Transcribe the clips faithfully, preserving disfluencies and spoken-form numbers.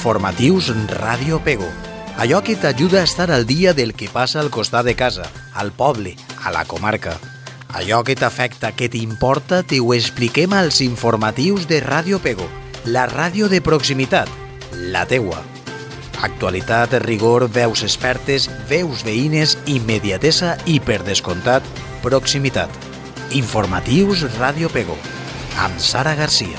Informatius Ràdio Pego. Allò que t'ajuda a estar al dia del que passa al costat de casa, al poble, a la comarca. Allò que t'afecta, que t'importa, te ho expliquem als informatius de Ràdio Pego, la ràdio de proximitat, la teua. Actualitat, rigor, veus expertes, veus veïnes, immediatesa i, per descomptat, proximitat. Informatius Ràdio Pego, amb Sara Garcia.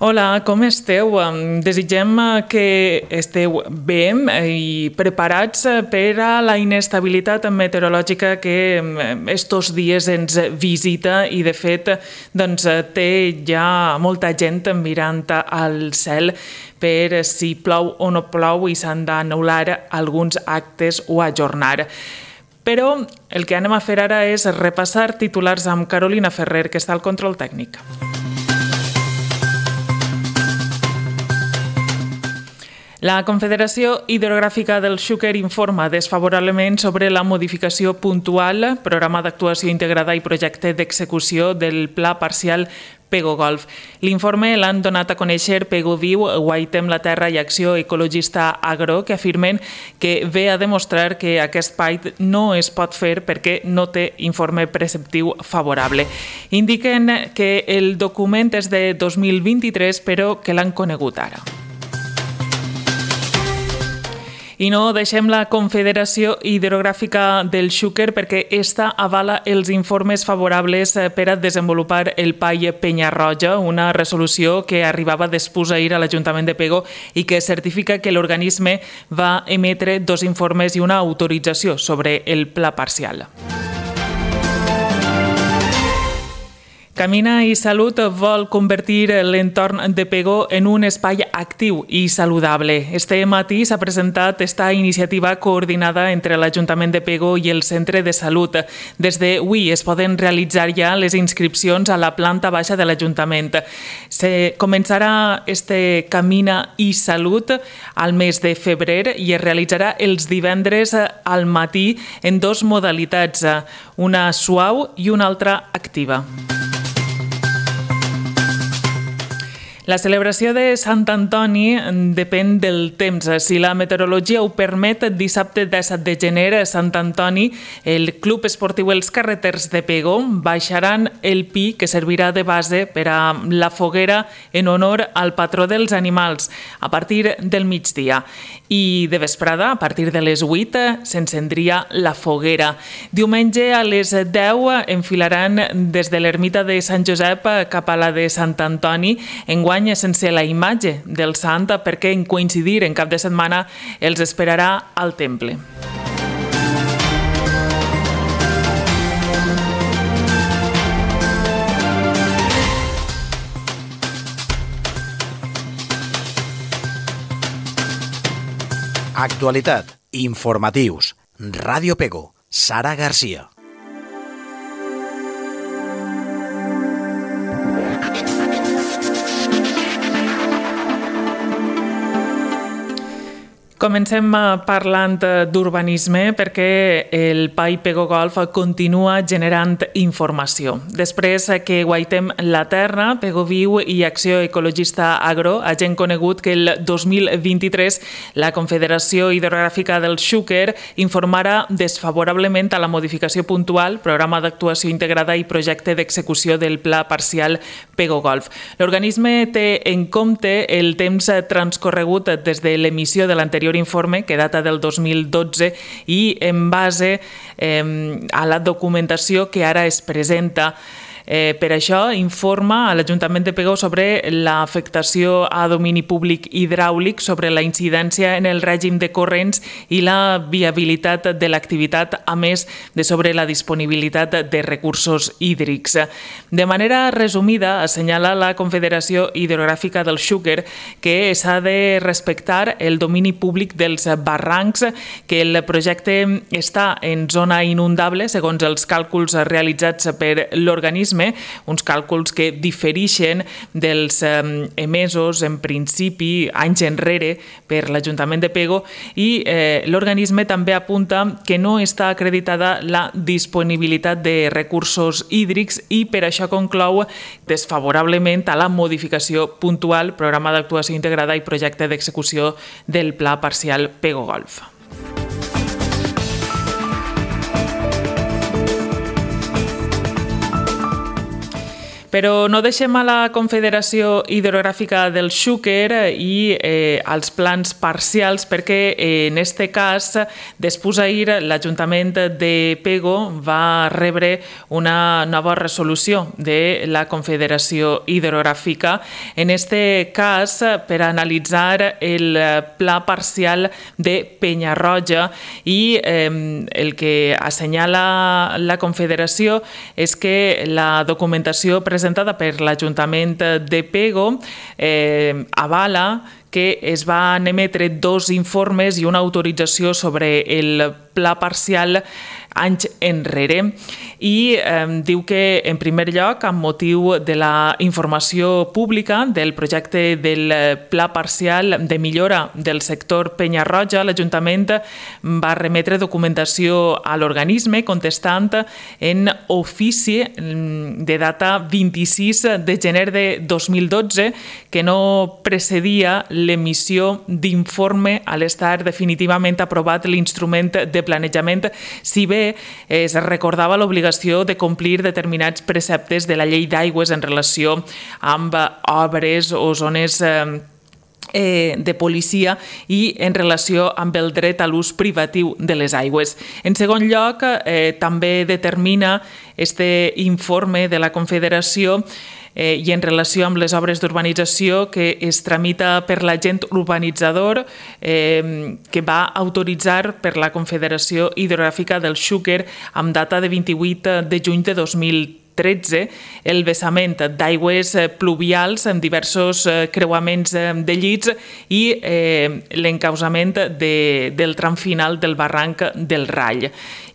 Hola, com esteu? Desitgem que esteu bé i preparats per a la inestabilitat meteorològica que estos dies ens visita i, de fet, doncs, té ja molta gent mirant al cel per si plou o no plou i s'han d'anul·lar alguns actes o ajornar. Però el que anem a fer ara és repassar titulars amb Carolina Ferrer, que està al control tècnic. La Confederació Hidrogràfica del Xúquer informa desfavorablement sobre la modificació puntual, programa d'actuació integrada i projecte d'execució del Pla Parcial Pego Golf. L'informe l'han donat a conèixer Pego Viu, Guaitem la Terra i Acció Ecologista Agro, que afirmen que ve a demostrar que aquest pait no es pot fer perquè no té informe preceptiu favorable. Indiquen que el document és de dos mil vint-i-tres, però que l'han conegut ara. I no deixem la Confederació Hidrogràfica del Xúquer perquè esta avala els informes favorables per a desenvolupar el P A I Penyarroja, una resolució que arribava després ahir a l'Ajuntament de Pego i que certifica que l'organisme va emetre dos informes i una autorització sobre el pla parcial. Camina i Salut vol convertir l'entorn de Pego en un espai actiu i saludable. Este matí s'ha presentat esta iniciativa coordinada entre l'Ajuntament de Pego i el Centre de Salut. Des d'avui es poden realitzar ja les inscripcions a la planta baixa de l'Ajuntament. Se començarà este Camina i Salut al mes de febrer i es realitzarà els divendres al matí en dos modalitats, una suau i una altra activa. La celebració de Sant Antoni depèn del temps. Si la meteorologia ho permet, dissabte disset de gener, Sant Antoni, el Club Esportiu Els Carreters de Pego baixaran el pi que servirà de base per a la foguera en honor al patró dels animals a partir del migdia. I de vesprada, a partir de les vuit, s'encendria la foguera. Diumenge a les deu enfilaran des de l'ermita de Sant Josep cap a la de Sant Antoni, enguany sense la imatge del sant perquè en coincidir en cap de setmana els esperarà al temple. Actualitat, informatius, Ràdio Pego, Sara Garcia. Comencem parlant d'urbanisme perquè el P A I Pego Golf continua generant informació. Després que Guaitem la Terra, Pego Viu i Acció Ecologista Agro hagin conegut que el dos mil vint-i-tres la Confederació Hidrogràfica del Xúquer informarà desfavorablement a la modificació puntual, programa d'actuació integrada i projecte d'execució del Pla Parcial Pego Golf. L'organisme té en compte el temps transcorregut des de l'emissió de l'anterior informe, que data del dos mil dotze, i en base eh, a la documentació que ara es presenta. Eh, per això informa a l'Ajuntament de Pego sobre l'afectació a domini públic hidràulic, sobre la incidència en el règim de corrents i la viabilitat de l'activitat, a més de sobre la disponibilitat de recursos hídrics. De manera resumida, assenyala la Confederació Hidrogràfica del Xúquer que s'ha de respectar el domini públic dels barrancs, que el projecte està en zona inundable, segons els càlculs realitzats per l'organisme, uns càlculs que diferixen dels emesos, en principi, anys enrere per l'Ajuntament de Pego, i eh, l'organisme també apunta que no està acreditada la disponibilitat de recursos hídrics i per això conclou desfavorablement a la modificació puntual, programa d'actuació integrada i projecte d'execució del Pla Parcial Pego Golf. Però no deixem a la Confederació Hidrogràfica del Xúquer i eh, als plans parcials, perquè eh, en este cas, després ahir, l'Ajuntament de Pego va rebre una nova resolució de la Confederació Hidrogràfica, en este cas per analitzar el pla parcial de Penyarroja, i eh, el que assenyala la Confederació és que la documentació presentada presentada per l'Ajuntament de Pego eh, avala que es van emetre dos informes i una autorització sobre el pla parcial anys enrere, i eh, diu que, en primer lloc, amb motiu de la informació pública del projecte del pla parcial de millora del sector Penyarroja, l'Ajuntament va remetre documentació a l'organisme contestant en ofici de data vint-i-sis de gener de dos mil dotze que no precedia l'emissió d'informe a l'estar definitivament aprovat l'instrument de planejament, si bé es recordava l'obligació de complir determinats preceptes de la llei d'aigües en relació amb obres o zones Eh, de policia i en relació amb el dret a l'ús privatiu de les aigües. En segon lloc, eh, també determina este informe de la Confederació eh, i en relació amb les obres d'urbanització que es tramita per l'agent urbanitzador eh, que va autoritzar per la Confederació Hidrogràfica del Xúquer amb data de vint-i-vuit de juny de dos mil tretze el vessament d'aigües pluvials en diversos creuaments de llits i eh, l'encausament de, del tram final del barranc del Rall.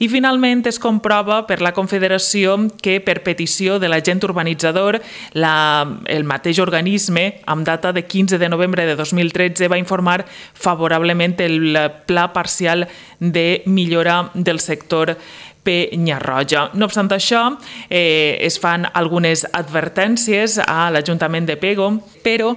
I finalment es comprova per la Confederació que per petició de l'agent urbanitzador la, el mateix organisme amb data de quinze de novembre de dos mil tretze va informar favorablement el pla parcial de millora del sector Penyarroja. No obstant això, eh, es fan algunes advertències a l'Ajuntament de Pego, però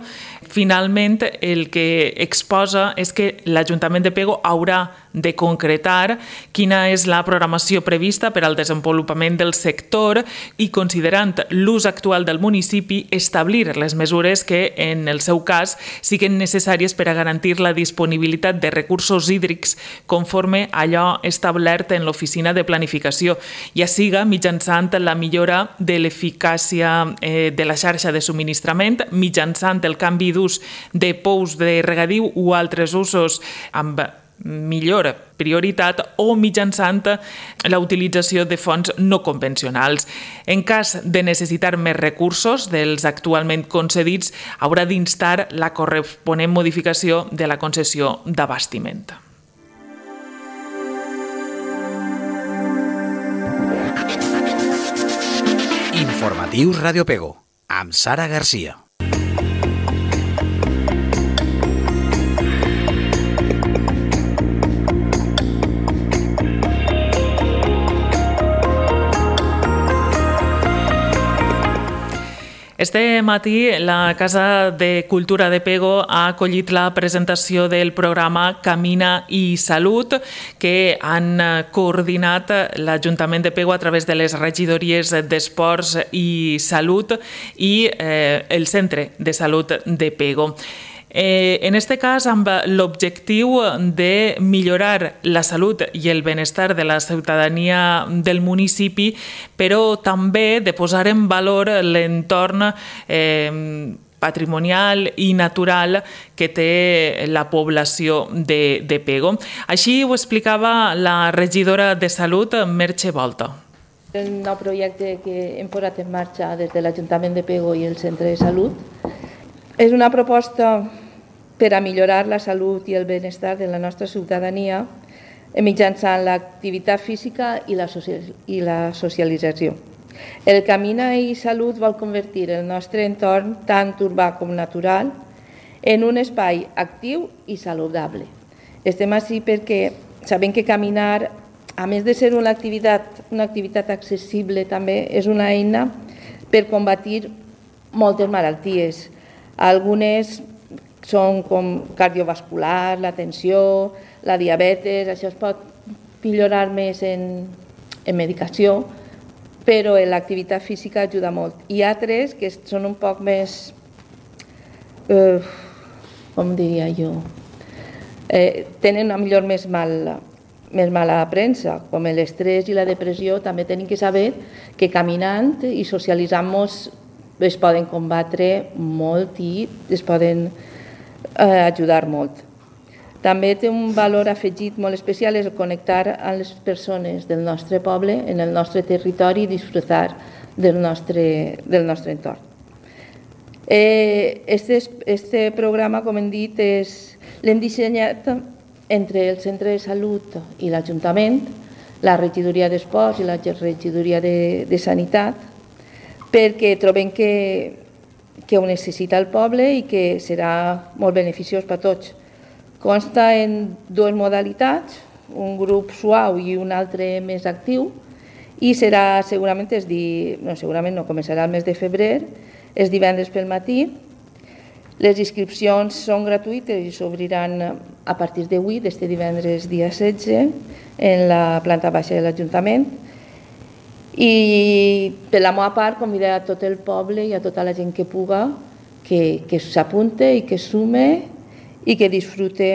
finalment el que exposa és que l'Ajuntament de Pego haurà de concretar quina és la programació prevista per al desenvolupament del sector i, considerant l'ús actual del municipi, establir les mesures que, en el seu cas, siguin necessàries per a garantir la disponibilitat de recursos hídrics conforme allò establert en l'Oficina de Planificació, ja siga mitjançant la millora de l'eficàcia eh, de la xarxa de subministrament, mitjançant el canvi d'ús de pous de regadiu o altres usos amb millor prioritat o mitjançant la utilització de fonts no convencionals. En cas de necessitar més recursos dels actualment concedits, haurà d'instar la corresponent modificació de la concessió d'abastiment. Informatius Ràdio Pego, amb Sara Garcia. Este matí, la Casa de Cultura de Pego ha acollit la presentació del programa Camina i Salut, que han coordinat l'Ajuntament de Pego a través de les regidories d'Esports i Salut i eh, el Centre de Salut de Pego. Eh, en aquest cas, amb l'objectiu de millorar la salut i el benestar de la ciutadania del municipi, però també de posar en valor l'entorn eh, patrimonial i natural que té la població de, de Pego. Així ho explicava la regidora de Salut, Merche Volta. El nou projecte que hem posat en marxa des de l'Ajuntament de Pego i el Centre de Salut és una proposta per a millorar la salut i el benestar de la nostra ciutadania mitjançant l'activitat física i la, i la socialització. El Camina i Salut vol convertir el nostre entorn, tant urbà com natural, en un espai actiu i saludable. Estem així perquè sabem que caminar, a més de ser una activitat, una activitat accessible, també és una eina per combatir moltes malalties. Algunes són com cardiovascular, la tensió, la diabetes, això es pot millorar més en, en medicació, però l'activitat física ajuda molt. Hi ha altres que són un poc més, eh, com diria jo, eh, tenen a millor més mal més mala premsa, com l'estrès i la depressió, també tenim que saber que caminant i socialitzant-nos es poden combatre molt i es poden eh, ajudar molt. També té un valor afegit molt especial, és connectar amb les persones del nostre poble, en el nostre territori i disfrutar del nostre, del nostre entorn. Eh, este, este programa, com hem dit, l'hem dissenyat entre el Centre de Salut i l'Ajuntament, la Regidoria d'Esports i la Regidoria de, de Sanitat, perquè trobem que, que ho necessita el poble i que serà molt beneficiós per a tots. Consta en dues modalitats, un grup suau i un altre més actiu, i serà segurament, es di, no, segurament no, començarà el mes de febrer, és divendres pel matí. Les inscripcions són gratuïtes i s'obriran a partir d'avui, d'este divendres dia setze, en la planta baixa de l'Ajuntament. I per la meva part convidar a tot el poble i a tota la gent que puga que, que s'apunte i que sume i que disfrute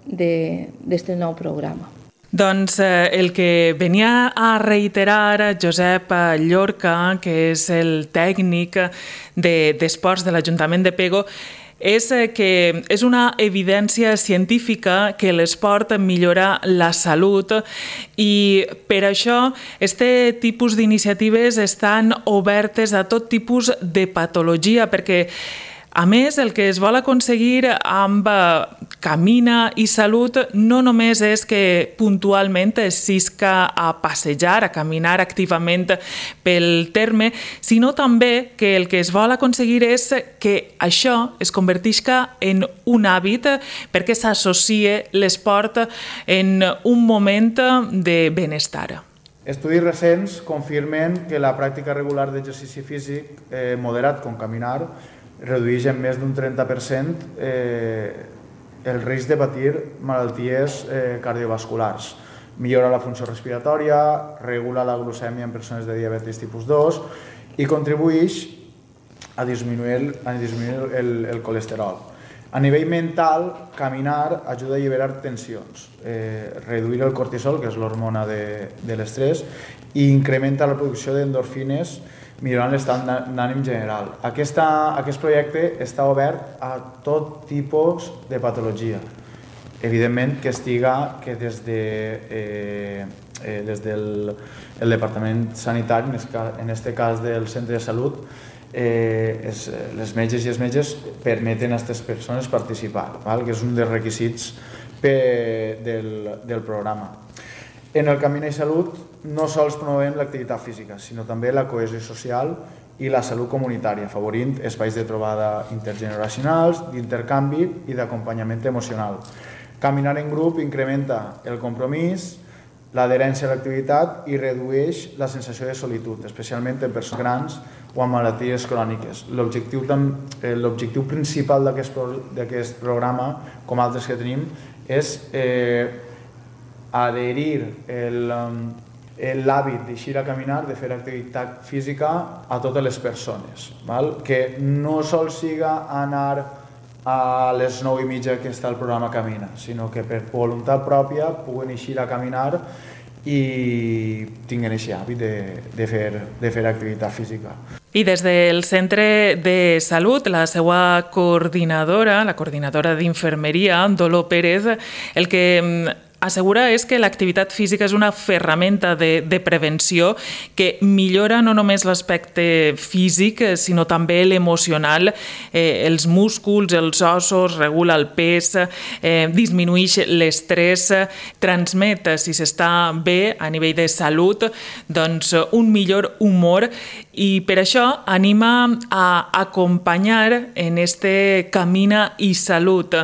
d'aquest nou programa. Doncs eh, el que venia a reiterar Josep Llorca, que és el tècnic d'esports de, de l'Ajuntament de Pego, és que és una evidència científica que l'esport millora la salut i per això este tipus d'iniciatives estan obertes a tot tipus de patologia, perquè a més, el que es vol aconseguir amb Camina i Salut no només és que puntualment es sisca a passejar, a caminar activament pel terme, sinó també que el que es vol aconseguir és que això es convertisca en un hàbit perquè s'associe l'esport en un moment de benestar. Estudis recents confirmen que la pràctica regular d'exercici físic eh, moderat com caminar redueix en més d'un trenta per cent eh, el risc de patir malalties eh, cardiovasculars. Millora la funció respiratòria, regula la glucèmia en persones de diabetis tipus dos i contribueix a disminuir, a disminuir el, el colesterol. A nivell mental, caminar ajuda a alliberar tensions, eh, reduir el cortisol, que és l'hormona de, de l'estrès, i incrementa la producció d'endorfines, millorant l'estat d'ànim general. Aquesta, aquest projecte està obert a tot tipus de patologia. Evidentment que estiga que des, de, eh, eh, des del el Departament Sanitari, en aquest cas del Centre de Salut, eh, es, les metges i els metges permeten a aquestes persones participar, val? Que és un dels requisits per, del, del programa. En el Camina i Salut no sols promovem l'activitat física, sinó també la cohesió social i la salut comunitària, afavorint espais de trobada intergeneracionals, d'intercanvi i d'acompanyament emocional. Caminar en grup incrementa el compromís, l'adherència a l'activitat i redueix la sensació de solitud, especialment en persones grans o amb malalties cròniques. L'objectiu principal d'aquest programa, com altres que tenim, és eh, adherir l'hàbit d'eixir a caminar, de fer activitat física a totes les persones, val? Que no sol siga anar a les nou i mitja que està el programa Camina, sinó que per voluntat pròpia puguen eixir a caminar i tinguin aquest hàbit de, de, fer, de fer activitat física. I des del Centre de Salut, la seva coordinadora, la coordinadora d'infermeria, Dolor Pérez, el que assegura és que l'activitat física és una ferramenta de, de prevenció que millora no només l'aspecte físic, sinó també l'emocional, eh, els músculs, els ossos, regula el pes, eh, disminueix l'estrès, transmet, si s'està bé a nivell de salut, doncs un millor humor, i per això anima a acompanyar en este Camina i Salut,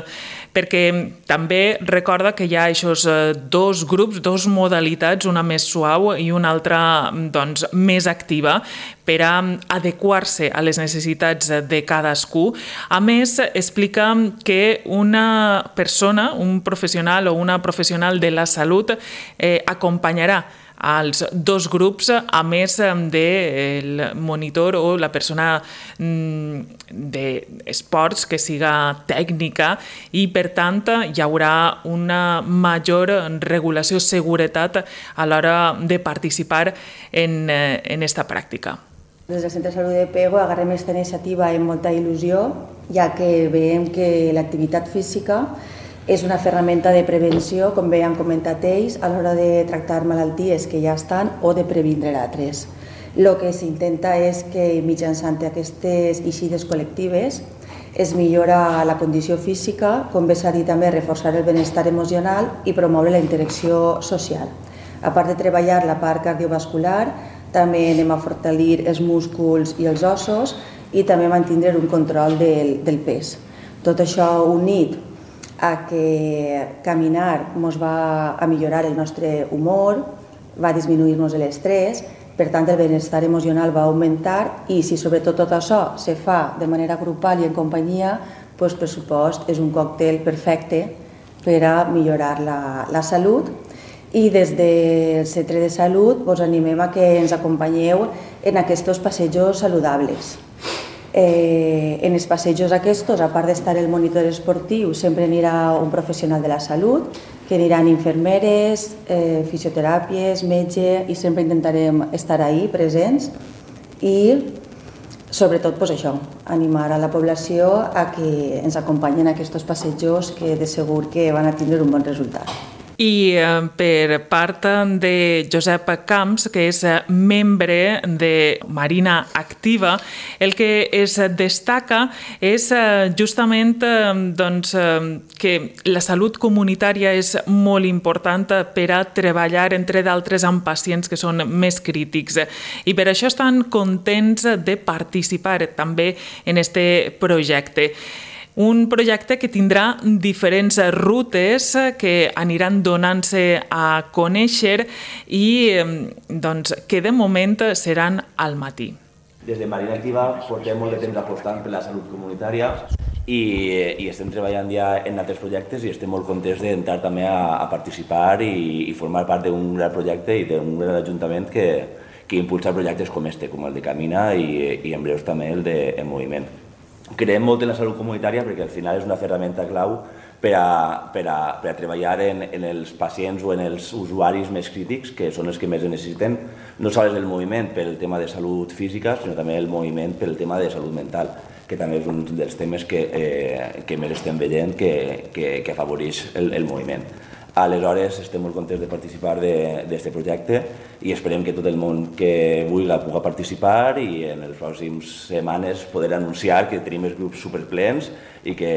perquè també recorda que hi ha aquests dos grups, dos modalitats, una més suau i una altra doncs, més activa, per a adequar-se a les necessitats de cadascú. A més, explica que una persona, un professional o una professional de la salut eh, acompanyarà als dos grups, a més del monitor o la persona d'esports que siga tècnica, i per tant hi haurà una major regulació, seguretat a l'hora de participar en, en esta pràctica. Des del Centre de Salut de Pego agarrem aquesta iniciativa amb molta il·lusió, ja que veiem que l'activitat física és una ferramenta de prevenció, com bé han comentat ells, a l'hora de tractar malalties que ja estan o de previndre altres. El que s'intenta és que mitjançant aquestes eixides col·lectives es millora la condició física, com bé s'ha dit també, reforçar el benestar emocional i promoure la interacció social. A part de treballar la part cardiovascular, també anem a fortalir els músculs i els ossos i també mantindre un control del, del pes. Tot això unit a que caminar ens va a millorar el nostre humor, va a disminuir-nos l'estrès, per tant el benestar emocional va augmentar, i si sobretot tot això se fa de manera grupal i en companyia, doncs per supost és un còctel perfecte per a millorar la, la salut. I des del Centre de Salut us animem a que ens acompanyeu en aquests passejos saludables. Eh, en els passejos aquests, a part d'estar el monitor esportiu, sempre anirà un professional de la salut, que aniran infermeres, eh, fisioteràpies, metge, i sempre intentarem estar ahí presents i sobretot pues, això, animar a la població a que ens acompanyen a aquests passejos, que de segur que van a tindre un bon resultat. I per part de Josep Camps, que és membre de Marina Activa, el que es destaca és justament doncs, que la salut comunitària és molt important per a treballar, entre d'altres, amb pacients que són més crítics. I per això estan contents de participar també en aquest projecte. Un projecte que tindrà diferents rutes que aniran donant-se a conèixer i doncs, que de moment seran al matí. Des de Marina Activa portem molt de temps apostant per la salut comunitària i, i estem treballant ja en altres projectes i estem molt contents d'entrar també a, a participar i, i formar part d'un gran projecte i d'un gran ajuntament que, que impulsa projectes com este, com el de Camina i, i en breus també el de En Moviment. Creiem molt en la salut comunitària perquè al final és una ferramenta clau per a, per a, per a treballar en, en els pacients o en els usuaris més crítics, que són els que més necessiten, no sols el moviment pel tema de salut física, sinó també el moviment pel tema de salut mental, que també és un dels temes que, eh, que més estem veient que, que, que afavoreix el, el moviment. Aleshores, estem molt contents de participar d'aquest projecte i esperem que tot el món que vulgui pugui participar i en les pròximes setmanes poder anunciar que tenim els grups superplens i que,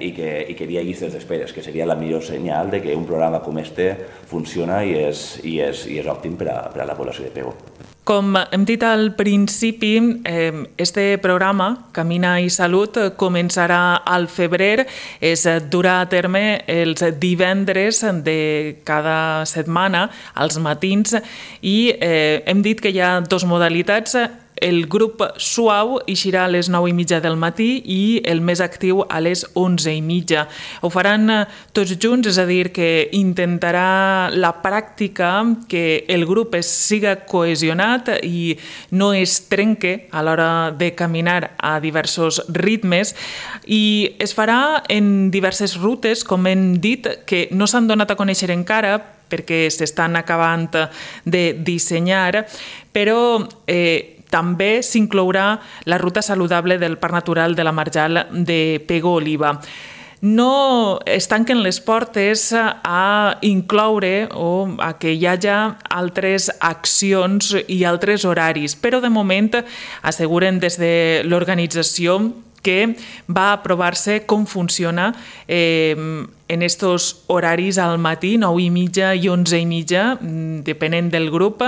i que, i que hi ha llistes d'esperes, que seria la millor senyal de que un programa com este funciona i és, i és, i és òptim per a, per a la població de Pego. Com hem dit al principi, este programa, Camina i Salut, començarà al febrer, es durà a terme els divendres de cada setmana, als matins, i hem dit que hi ha dues modalitats. El grup suau eixirà a les nou i mitja del matí i el més actiu a les onze i mitja. Ho faran tots junts, és a dir, que intentarà la pràctica que el grup es siga cohesionat i no es trenque a l'hora de caminar a diversos ritmes, i es farà en diverses rutes, com hem dit, que no s'han donat a conèixer encara perquè s'estan acabant de dissenyar, però eh, també s'inclourà la ruta saludable del Parc Natural de la Marjal de Pego Oliva. No es tanquen les portes a incloure o a que hi hagi altres accions i altres horaris, però de moment asseguren des de l'organització que va aprovar-se com funciona eh, en estos horaris al matí, nou i mitja i onze i mitja, depenent del grup,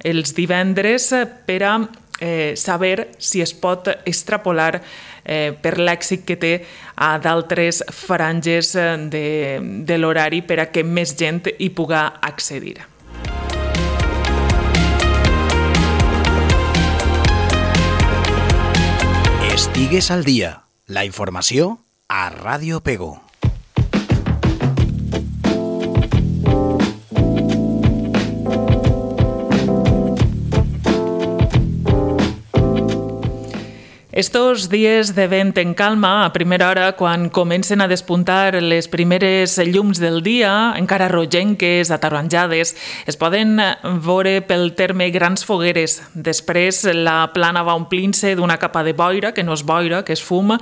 els divendres, per a eh, saber si es pot extrapolar eh, per l'èxit que té a d'altres franges de, de l'horari per a que més gent hi puga accedir. Estigues al dia. La informació a Ràdio Pego. Estos dies de vent en calma, a primera hora, quan comencen a despuntar les primeres llums del dia, encara rogenques, ataronjades, es poden veure pel terme grans fogueres. Després la plana va omplint-se d'una capa de boira, que no és boira, que és fum,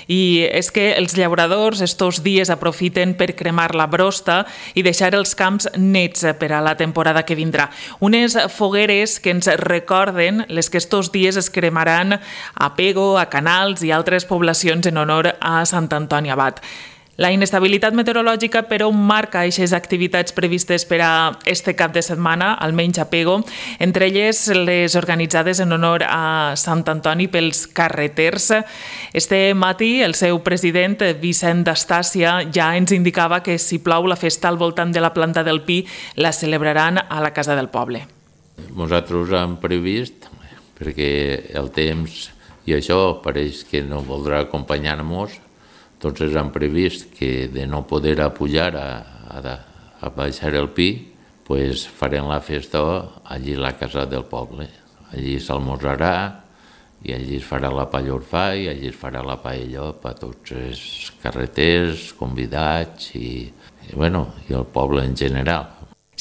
i és que els llauradors estos dies aprofiten per cremar la brosta i deixar els camps nets per a la temporada que vindrà. Unes fogueres que ens recorden les que estos dies es cremaran a Pego, a Canals i altres poblacions en honor a Sant Antoni Abat. La inestabilitat meteorològica, però, marca aquestes activitats previstes per a este cap de setmana, almenys a Pego, entre elles les organitzades en honor a Sant Antoni pels carreters. Este matí, el seu president, Vicent d'Estàcia, ja ens indicava que si plou la festa al voltant de la planta del Pi la celebraran a la Casa del Poble. Nosaltres hem previst, perquè el temps i això pareix que no voldrà acompanyar-nos, doncs hem previst que de no poder a pujar a, a, a baixar el Pi, pues farem la festa allí a la Casa del Poble. Allí s'almorzarà i allí es farà la pallorfà i allí es farà la paella per tots els carreters, convidats i, i, bueno, i el poble en general.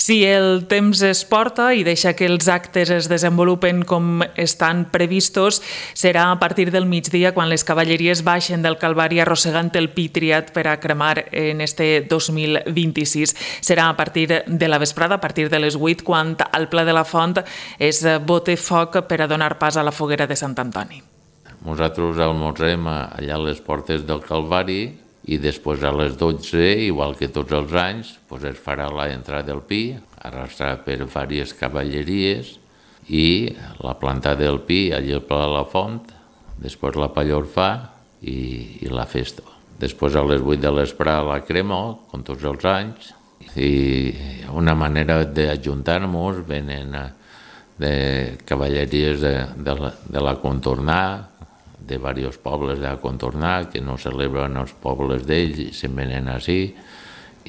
Si el temps es porta i deixa que els actes es desenvolupen com estan previstos, serà a partir del migdia quan les cavalleries baixen del Calvari arrossegant el Pi triat per a cremar en este dos mil vint-i-sis. Serà a partir de la vesprada, a partir de les vuit, quan al Pla de la Font es bote foc per a donar pas a la foguera de Sant Antoni. Nosaltres almorzem allà a les portes del Calvari i després a les dotze, igual que tots els anys, doncs es farà l'entrada del Pi, arrastrat per diverses cavalleries, i la planta del Pi allà al Pla de la Font, després la pallorfà i, i la festa. Després a les vuit de l'espre la crema, com tots els anys, i una manera d'ajuntar-nos, venen de cavalleries de, de, la, de la contornar, de diversos pobles de contornar, que no celebren els pobles d'ells i se'n venen així.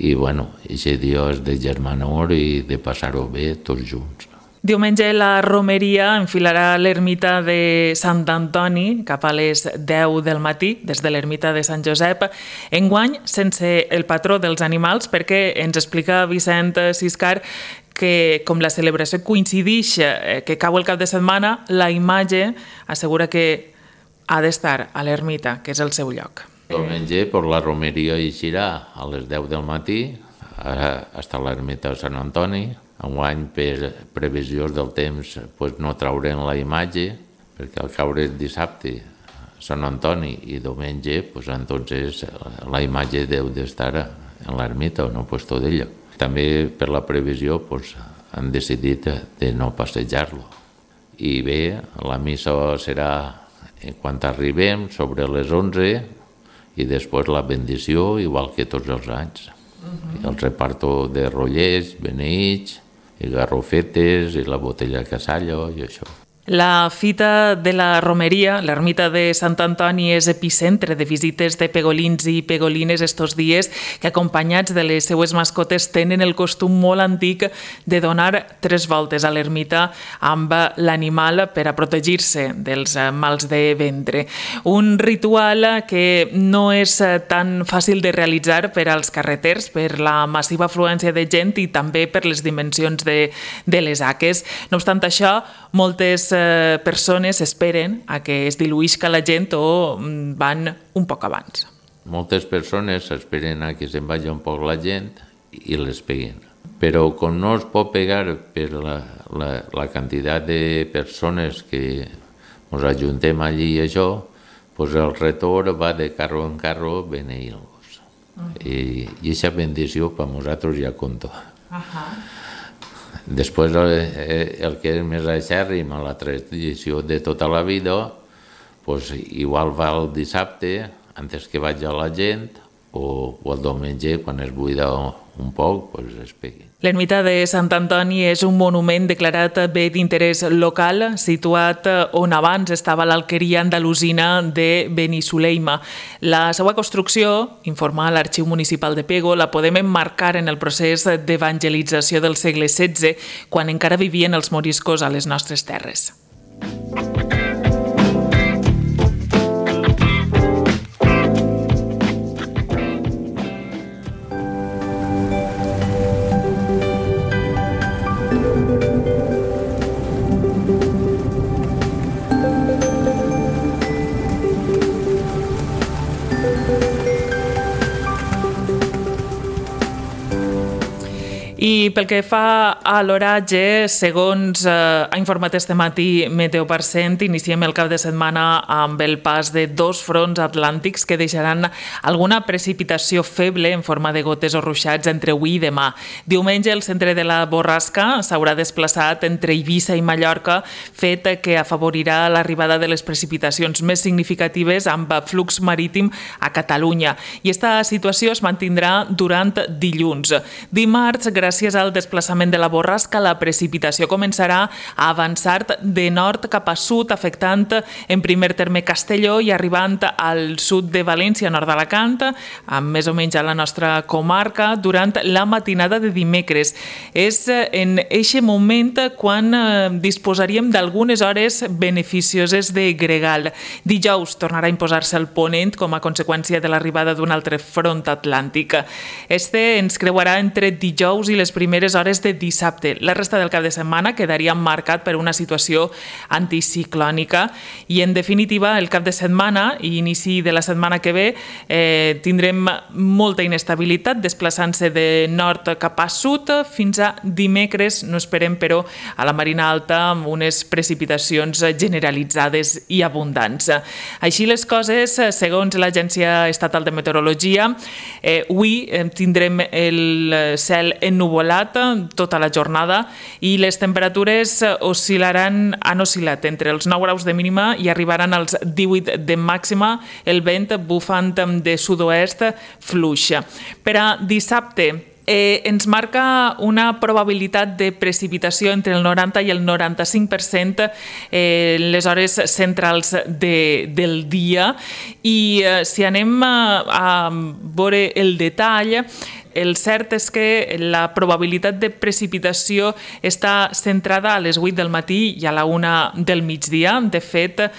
I, bueno, aquest dia és de germanor i de passar-ho bé tots junts. Diumenge la romeria enfilarà l'ermita de Sant Antoni cap a les deu del matí, des de l'ermita de Sant Josep, enguany sense el patró dels animals, perquè ens explica Vicent Siscar que com la celebració coincideix que cau el cap de setmana, la imatge assegura que ha d'estar a l'ermita, que és el seu lloc. Diumenge per la romeria eixirà a les deu del matí, hasta l'ermita de Sant Antoni. Enguany, per previsions del temps, pues, no traurem la imatge, perquè al caure el dissabte Sant Antoni i diumenge, pues, entonces la imatge deu d'estar en l'ermita o no puesto d'ella. També per la previsió pues, han decidit de no passejar-lo. I bé, la missa serà quan arribem sobre les onze i després la bendició, igual que tots els anys. Uh-huh. El reparto de rotllers, beneïts, i garrofetes, i la botella de casalla i això. La Fita de la Romeria, l'ermita de Sant Antoni, és epicentre de visites de pegolins i pegolines estos dies que, acompanyats de les seues mascotes, tenen el costum molt antic de donar tres voltes a l'ermita amb l'animal per a protegir-se dels mals de ventre. Un ritual que no és tan fàcil de realitzar per als carreters, per la massiva afluència de gent i també per les dimensions de, de les haques. No obstant això, moltes persones esperen a que es diluïsca la gent o van un poc abans. Moltes persones esperen a que se'n vagi un poc la gent i les peguen. Però com no es pot pegar per la, la, la quantitat de persones que ens ajuntem allí i això, pues el retorn va de carro en carro beneint-los. Uh-huh. I, I aquesta bendició per nosaltres ja compta. Uh-huh. Després, el que és més acèrrim a la tradició de tota la vida, pues, igual va el dissabte, antes que vagi a la gent, o, o el diumenge, quan es buida un poc, pues, es pegui. L'ermita de Sant Antoni és un monument declarat bé d'interès local, situat on abans estava l'alqueria andalusina de Benissuleima. La seva construcció, informa l'Arxiu Municipal de Pego, la podem emmarcar en el procés d'evangelització del segle setze, quan encara vivien els moriscos a les nostres terres. I pel que fa a l'oratge, segons eh, ha informat este matí Meteo Parcent, iniciem el cap de setmana amb el pas de dos fronts atlàntics que deixaran alguna precipitació feble en forma de gotes o ruixats entre avui i demà. Diumenge el centre de la borrasca s'haurà desplaçat entre Eivissa i Mallorca, fet que afavorirà l'arribada de les precipitacions més significatives amb flux marítim a Catalunya. I esta situació es mantindrà durant dilluns. Dimarts, gràcies Gràcies al desplaçament de la borrasca, la precipitació començarà a avançar de nord cap a sud, afectant en primer terme Castelló i arribant al sud de València, nord d'Alacant, amb més o menys a la nostra comarca, durant la matinada de dimecres. És en aquest moment quan disposaríem d'algunes hores beneficioses de gregal. Dijous tornarà a imposar-se el ponent com a conseqüència de l'arribada d'un altre front atlàntic. Este ens creuarà entre dijous i les primeres hores de dissabte. La resta del cap de setmana quedaria marcat per una situació anticiclònica i, en definitiva, el cap de setmana i inici de la setmana que ve eh, tindrem molta inestabilitat desplaçant-se de nord cap a sud fins a dimecres. No esperem, però, a la Marina Alta amb unes precipitacions generalitzades i abundants. Així les coses, segons l'Agència Estatal de Meteorologia, eh, avui eh, tindrem el cel ennuvolat tota la jornada i les temperatures oscil·laran, han oscil·lat entre els nou graus de mínima i arribaran als divuit de màxima, el vent bufant de sud-oest fluix. Per a dissabte, Eh, ens marca una probabilitat de precipitació entre el noranta i el noranta-cinc per cent eh, en les hores centrals de, del dia i eh, si anem a, a veure el detall, el cert és que la probabilitat de precipitació està centrada a les vuit del matí i a la una del migdia. De fet,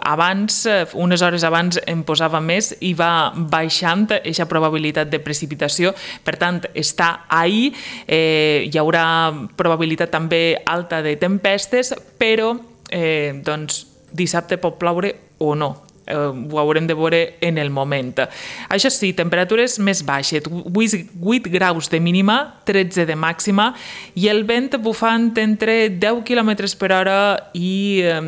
abans, unes hores abans em posava més i va baixant aquesta probabilitat de precipitació, per tant està ahí, eh, hi haurà probabilitat també alta de tempestes, però eh, doncs, dissabte pot ploure o no. Eh, ho haurem de veure en el moment. Això sí, temperatures més baixes, vuit graus de mínima, tretze de màxima i el vent bufant entre deu quilòmetres per hora i eh,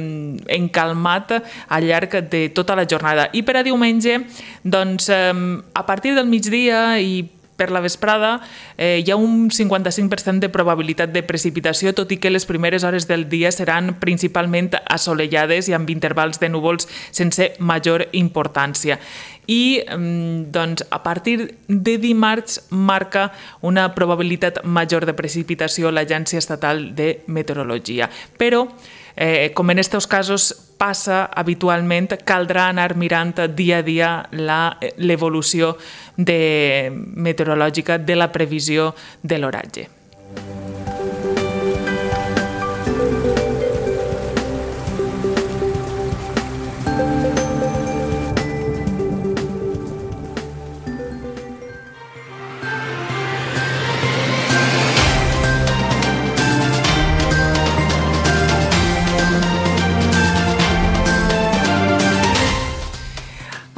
encalmat al llarg de tota la jornada. I per a diumenge, doncs, eh, a partir del migdia i per la vesprada eh, hi ha un cinquanta-cinc per cent de probabilitat de precipitació, tot i que les primeres hores del dia seran principalment assolellades i amb intervals de núvols sense major importància. I doncs, a partir de dimarts marca una probabilitat major de precipitació l'Agència Estatal de Meteorologia. Però eh, com en aquests casos passa habitualment, caldrà anar mirant dia a dia l'evolució meteorològica de la previsió de l'oratge.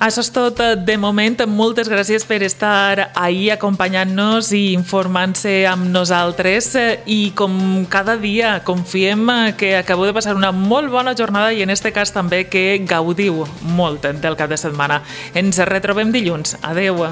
Això és tot de moment. Moltes gràcies per estar ahí acompanyant-nos i informant-se amb nosaltres i com cada dia confiem que acabeu de passar una molt bona jornada i en aquest cas també que gaudiu molt del cap de setmana. Ens retrobem dilluns. Adeu.